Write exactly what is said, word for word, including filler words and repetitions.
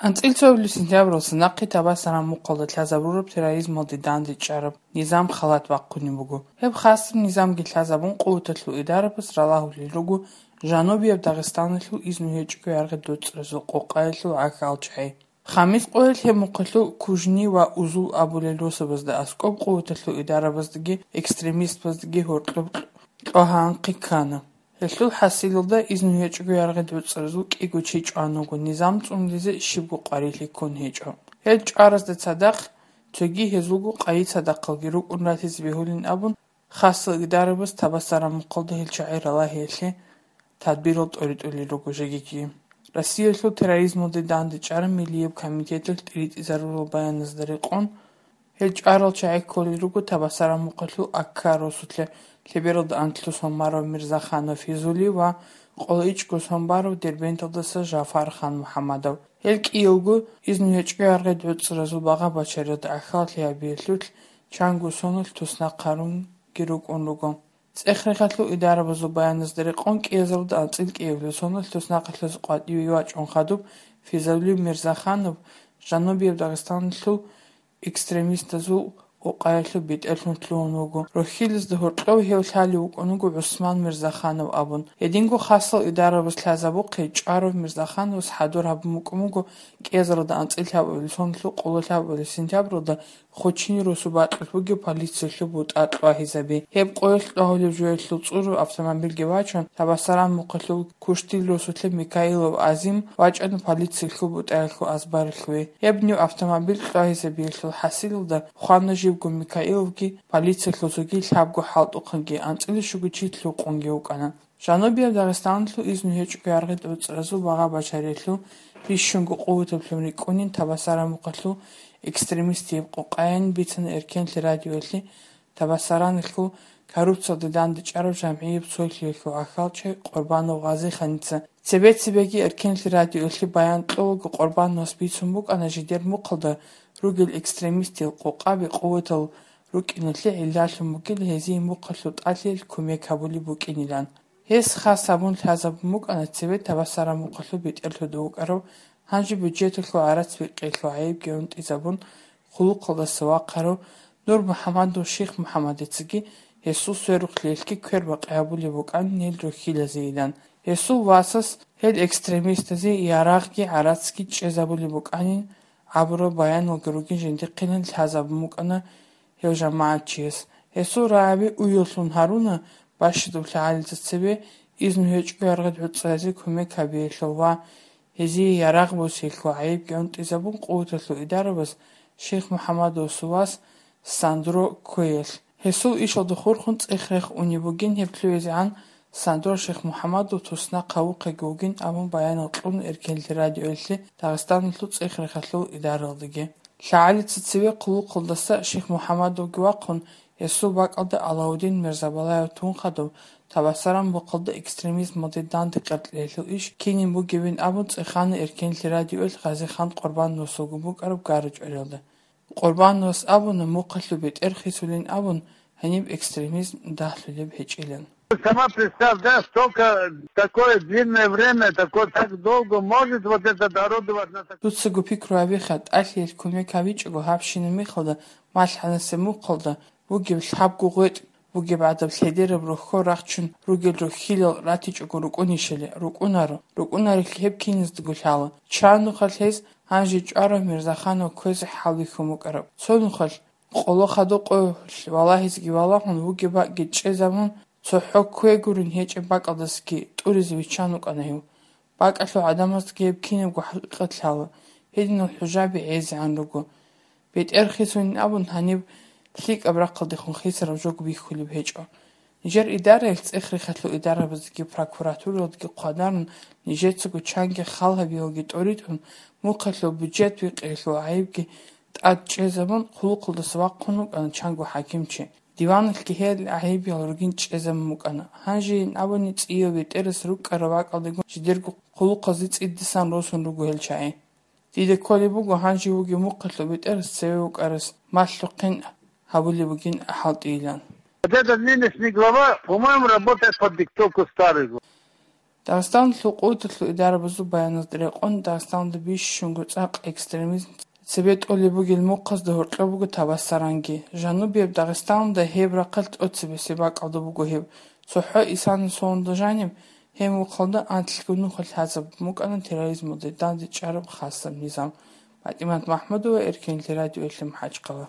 АнцӀила цоябилеб сентябралдаса нахъе Табасаран мухъалда лъазабураб терроризмалде дандечӀараб низам халат бахъунеб буго. Гьеб хасаб низамги лъазабун, къуваталъул идарабаз ралагьулел руго жанубияб Дагъистаналъул изну гьечӀого яргъи доцӀразул къокъаялъул гӀахьалчагӀи. Хамис къоялъ гьеб мухъалъул Кужни ва Узул абулел росабазда аскӀоб къуваталъул идарабаздаги экстремистбаздаги гьоркьоб кьогьанхъи ккана. Гьелъул хӀасилалда изну гьечӀого яргъи доцӀразул кӀиго чи чӀван вуго низам цӀунулизе щибго къварилъи ккун гьечӀо. Гьел чӀваразда цадахъ цоги гьезулго къайи цадахъалги рукӀун ратизе бегьулин абун, хасал идарабаз Табасаран мухъалда гьел чагӀи ралагьиялъе тадбирал тӀоритӀулел руго жегиги. Россиялъул терроризмалде дандечӀараб Миллияб комитеталъ тӀиритӀизарурал баяназда рекъон, гьел чӀварал чагӀи кколел руго Табасаран мухъалъул Акка росулъа лъебералда анлъго сон барав Мирзаханов Физули ва къоло ичӀго сон барав Дербенталдаса Жафар Хан МухӀаммадов. Гьел кӀиялго изну гьечӀого яргъи доцӀразул багъа-бачарилда гӀахьаллъи гьабиялъулъ чанго соналъ туснахъ гьарунги рукӀун руго. ЦӀех-рехалъул идарабазул баяназда рекъон, кӀиазаралда анцӀила кӀиабилеб соналъ туснахъалъуз къватӀиве вачӀун хадуб Физули Мирзаханов жанубияб Дагъистаналъул экстремистазул къокъаялъул бетӀерлъун лъугьун вуго. Рохьилазда гьоркьов гьев лъалев вукӀун вуго ГӀусман Мирзаханов абун. Гьединго хасал идарабаз лъазабухъе чӀварав Мирзахановас хӀадур гьабун букӀун буго кӀиазаралда анцӀила лъабабилеб соналъул къоло лъабабилеб сентябралда Хучини росу бакьулъ бугеб полициялъул бутӀа кьвагьизаби. Гьеб къоялъ кьвагьулеб жоялъул цӀуру автомобильги вачун, Табасаран мухъалъул Куштил росулъа Микаилов Азим вачӀана полициялъул бутӀаялъул азбаралъуве. Гьеб нив автомобиль кьвагьизабиялъул хӀасилалда хвана живго Микаиловги, полициялъул цоги лъабго хӀалтӀухъанги, анцӀила щуго чи лъукъунги вукӀана. Жанубияб Дагъистаналъул изну гьечӀого яргъи доцӀразул багъа-бачарилъул бищунго къуватаблъун рикӀкӀунин Табасаран мухъалъул экстремистияб къокъаян бицана Эркенлъи радиоялъе Табасараналъул коррупциялде дандечӀараб жамгӀияб цолъиялъул гӀахьалчи Къурбанов Гъазиханица. Цебе-цебеги Эркенлъи радиоялъе баян кьолаго Къурбановас бицун букӀана жидер мухъалда ругел экстремистиял къокъаби къуватал рукӀиналъе гӀиллалъун бугел гьезие мухъалъул тӀалъиялъ кумек гьабулеб букӀинилан. Гьес хас гьабун лъазабун букӀана цебе Табасаран мухъалъул бетӀерлъуда вукӀарав, гьанже бюджеталъул гӀарац-бикъиялъул гӀайибги гӀунтӀизабун, хъулухъалдаса вахъарав Нур МухӀаммадов Ших МухӀаммадицаги гьесул сверухълъиялъги квербакъи гьабулеб букӀанин гьел рохьилазейилан. Гьесул васас гьел экстремистазе ярагъги гӀарацги чӀезабулеб букӀанин абураб баяналги ругин жиндихъилан лъазабун букӀана гьев жамагӀатчияс. Гьесул рагӀаби уяллъун гьаруна бащадаб лъагӀалица цебе изну гьечӀого яргъи доцӀразе кумек гьабиялъул ва гьезие ярагъ босиялъул гӀайибги гӀунтӀизабун къуваталъул идарабаз Ших МухӀаммадовасул вас Сандро кквеялъ. Гьесул ишалда хурхун цӀех-рех унеб бугин гьеб лъугӀизегӀан Сандро Ших МухӀаммадов туснахъ гьавухъеги вугин абун баянал кьун Эркенлъи радиоялъе Дагъистаналъул цӀех-рехалъул идаралдаги. ЛъагӀалица цеве хъулухъалдаса Ших МухӀаммадовги вахъун, гьесул бакӀалда Алаудин Мирзабалаев тун хадуб, Табасаран мухъалда экстремизмалде данде къеркьеялъул иш кинин бугебин абун цӀехана Эркенлъи радиоялъ Гъазихан Къурбановасулгун букӀараб гара-чӀвариялда. Къурбановас абуна, мухъалъул бетӀер хисулин абун, гьаниб экстремизм дагьлъулеб гьечӀилан. Сама представь, да, столько, такое длинное время, такое, так долго может вот этот орудовать на так- Дуцаго пикру гьабиха, тӀалъиялъ кумек гьабичӀого гьабщинаб мехалда, малъанасеб мухъалда бугеб лъабго гъветӀ бугеб гӀадаб лъедераб рохьо рахчун ругел рохьилал ратичӀого рукӀунищали, рукӀунаро, рукӀунарелъи гьеб киназдаго лъала. Чан нухалъ гьез гьанже чӀварав Мирзаханов кквезе хӀалбихьун букӀараб. Цо нухалъ къоло хадуб къоялъ валагьизеги валагьун, вугеб бакӀги чӀезабун, цохӀо кквегурин гьечӀеб бакӀалдасаги тӀуризе виччан вукӀана гьев. БакӀалъул гӀадамаздаги гьеб кинабго хӀакъикъат лъала, гьединал хӀужаби гӀезегӀан руго. БетӀер хисунин абун, гьаниб лъикӀаб рахъалдехун хисараб жо бихьулеб гьечӀо. Нижер идараялъ, цӀех-рехалъул идарабаздаги прокуратуралдаги хъвадарун, нижецаго чанги хал гьабиялги тӀоритӀун, мухъалъул бюджет бикъиялъул гӀайибги тӀад чӀезабун, хъулухъалдаса вахъун вукӀана чанго хӀакимчи. Диваналъги гьел гӀайибиял ругин чӀезабун букӀана. Гьанжейин абуни, цӀияв бетӀерас рукӀараб бакӀалдего жидерго хъулухъазе цӀидасан росун руго гьел чагӀи. Дида кколеб буго гьанже вугев мухъалъул бетӀерас цеве вукӀарас малъухъин гьабулеб бугин хӀалтӀийилан. Вот этот нынешний глава, по-моему, работает под диктовку старый главы. Дагъистаналъул къуваталъул идарабазул баяназда рекъон, Дагъистаналда бищунго цӀакъ экстремизм цебе тӀолеб бугел мухъазда гьоркьоб буго Табасаранги. Жанубияб Дагъистаналда гьеб рахъалъ тӀоцебесеб бакӀалда буго гьеб. ЦохӀо исана соналда жаниб, гьеб мухъалда анлъго нухалъ гьазабун букӀана терроризмалде данде чӀараб хасаб низам. ПатӀимат МахӀмудова, Эркенлъи радиоялъе МахӀачхъала.